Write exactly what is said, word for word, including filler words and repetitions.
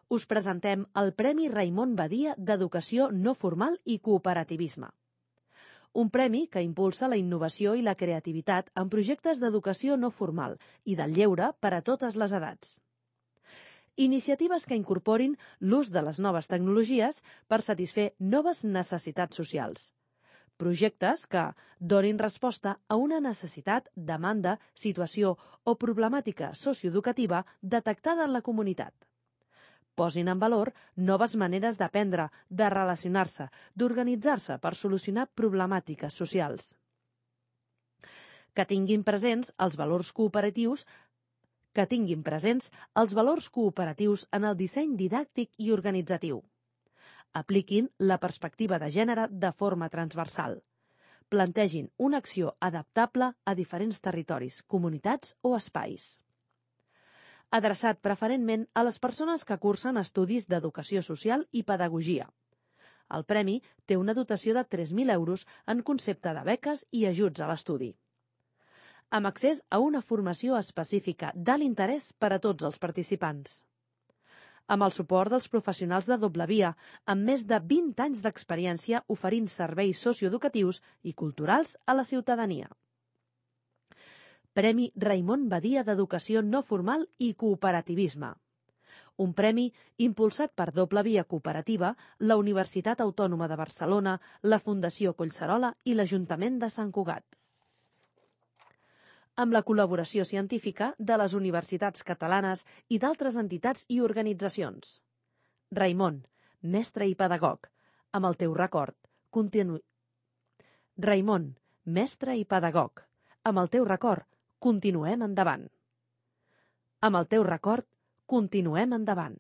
us presentem el Premi Raimon Badia d'Educació no formal i cooperativisme. Un premi que impulsa la innovació i la creativitat en projectes d'educació no formal i del lleure per a totes les edats. Iniciatives que incorporin l'ús de les noves tecnologies per satisfer noves necessitats socials. Projectes que donin resposta a una necessitat, demanda, situació o problemàtica socioeducativa detectada en la comunitat. Posin en valor noves maneres d'aprendre, de relacionar-se, d'organitzar-se per solucionar problemàtiques socials. Que tinguin presents els valors cooperatius que tinguin presents els valors cooperatius en el disseny didàctic i organitzatiu. Apliquin la perspectiva de gènere de forma transversal. Plantegin una acció adaptable a diferents territoris, comunitats o espais. Adreçat preferentment a les persones que cursen estudis d'educació social i pedagogia. El premi té una dotació de tres mil euros en concepte de beques i ajuts a l'estudi. Amb accés a una formació específica d'alt interès per a tots els participants. Amb el suport dels professionals de doble via, amb més de vint anys d'experiència oferint serveis socioeducatius i culturals a la ciutadania. Premi Raimon Badia d'Educació no formal i cooperativisme. Un premi impulsat per Doble Via Cooperativa, la Universitat Autònoma de Barcelona, la Fundació Collserola i l'Ajuntament de Sant Cugat. Amb la col·laboració científica de les universitats catalanes i d'altres entitats i organitzacions. Raimon, mestre i pedagog, amb el teu record, continu... Raimon, mestre i pedagog, amb el teu record, continuem endavant. Amb el teu record, continuem endavant.